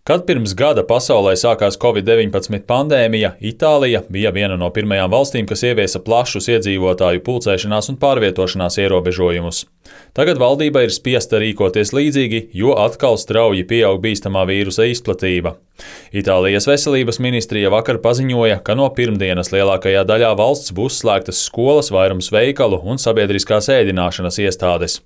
Kad pirms gada pasaulē sākās Covid-19 pandēmija, Itālija bija viena no pirmajām valstīm, kas ieviesa plašus iedzīvotāju pulcēšanās un pārvietošanās ierobežojumus. Tagad valdība ir spiesta rīkoties līdzīgi, jo atkal strauji pieaug bīstamā vīrusa izplatība. Itālijas veselības ministrija vakar paziņoja, ka no pirmdienas lielākajā daļā valsts būs slēgtas skolas, vairums veikalu un sabiedriskās ēdināšanas iestādes.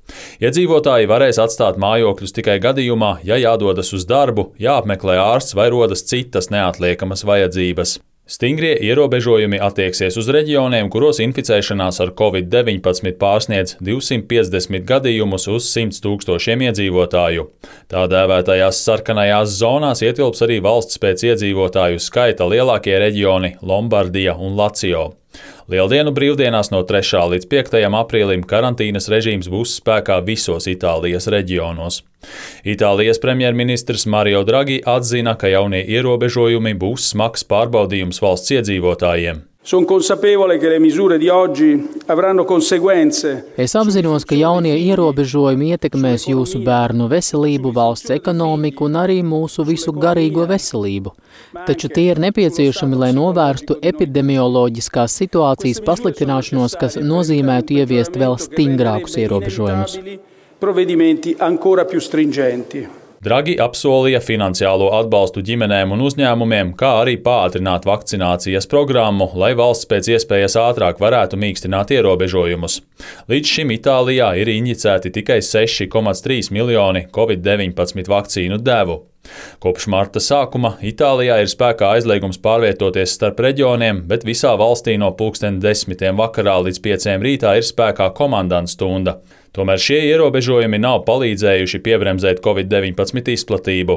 Iedzīvotāji varēs atstāt mājokļus tikai gadījumā, ja jādodas uz darbu, jāapmeklē ārsts vai rodas citas neatliekamas vajadzības. Stingrie ierobežojumi attieksies uz reģioniem, kuros inficēšanās ar Covid-19 pārsniedz 250 gadījumus uz 100 000 iedzīvotāju. Tā dēvētajās sarkanajās zonās ietilps arī valsts pēc iedzīvotāju skaita lielākie reģioni Lombardija un Lazio. Lieldienu brīvdienās no 3. līdz 5. aprīlim karantīnas režīms būs spēkā visos Itālijas reģionos. Itālijas premjerministrs Mario Draghi atzina, ka jaunie ierobežojumi būs smags pārbaudījums valsts iedzīvotājiem. Es apzinos, ka jaunie ierobežojumi ietekmēs jūsu bērnu veselību, valsts ekonomiku un arī mūsu visu garīgo veselību. Taču tie ir nepieciešami, lai novērstu epidemioloģiskās situācijas pasliktināšanos, kas nozīmētu ieviest vēl stingrākus ierobežojumus. Draghi apsolīja finansiālo atbalstu ģimenēm un uzņēmumiem, kā arī pātrināt vakcinācijas programmu, lai valsts pēc iespējas ātrāk varētu mīkstināt ierobežojumus. Līdz šim Itālijā ir injicēti tikai 6,3 miljoni Covid-19 vakcīnu devu. Kopš marta sākuma Itālijā ir spēkā aizliegums pārvietoties starp reģioniem, bet visā valstī no 10:00 vakarā līdz 5:00 rītā ir spēkā komandantu stunda. Tomēr šie ierobežojumi nav palīdzējuši piebremzēt Covid-19 izplatību.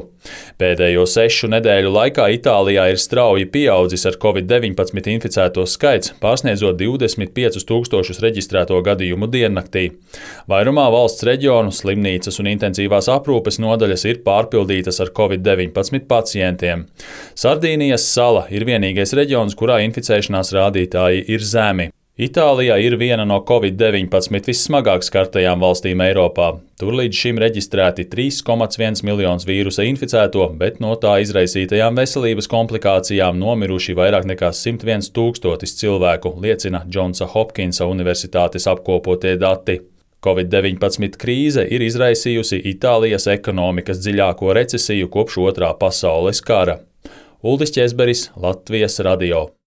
Pēdējo 6 nedēļu laikā Itālijā ir strauji pieaudzis ar Covid-19 inficēto skaits, pārsniedzot 25 000 reģistrēto gadījumu diennaktī. Vairumā valsts reģionu slimnīcas un intensīvās aprūpes nodaļas ir pārpildītas ar Covid-19 pacientiem. Sardīnijas sala ir vienīgais reģions, kurā inficēšanās rādītāji ir zemi. Itālijā ir viena no Covid-19 vissmagāk skartajām valstīm Eiropā. Tur līdz šim reģistrēti 3,1 miljonus vīrusa inficēto, bet no tā izraisītajām veselības komplikācijām nomiruši vairāk nekā 101 000 cilvēku, liecina Džonsa Hopkinsa universitātes apkopotie dati. Covid-19 krīze ir izraisījusi Itālijas ekonomikas dziļāko recesiju kopš Otrā pasaules kara. Uldis Ķezberis, Latvijas radio.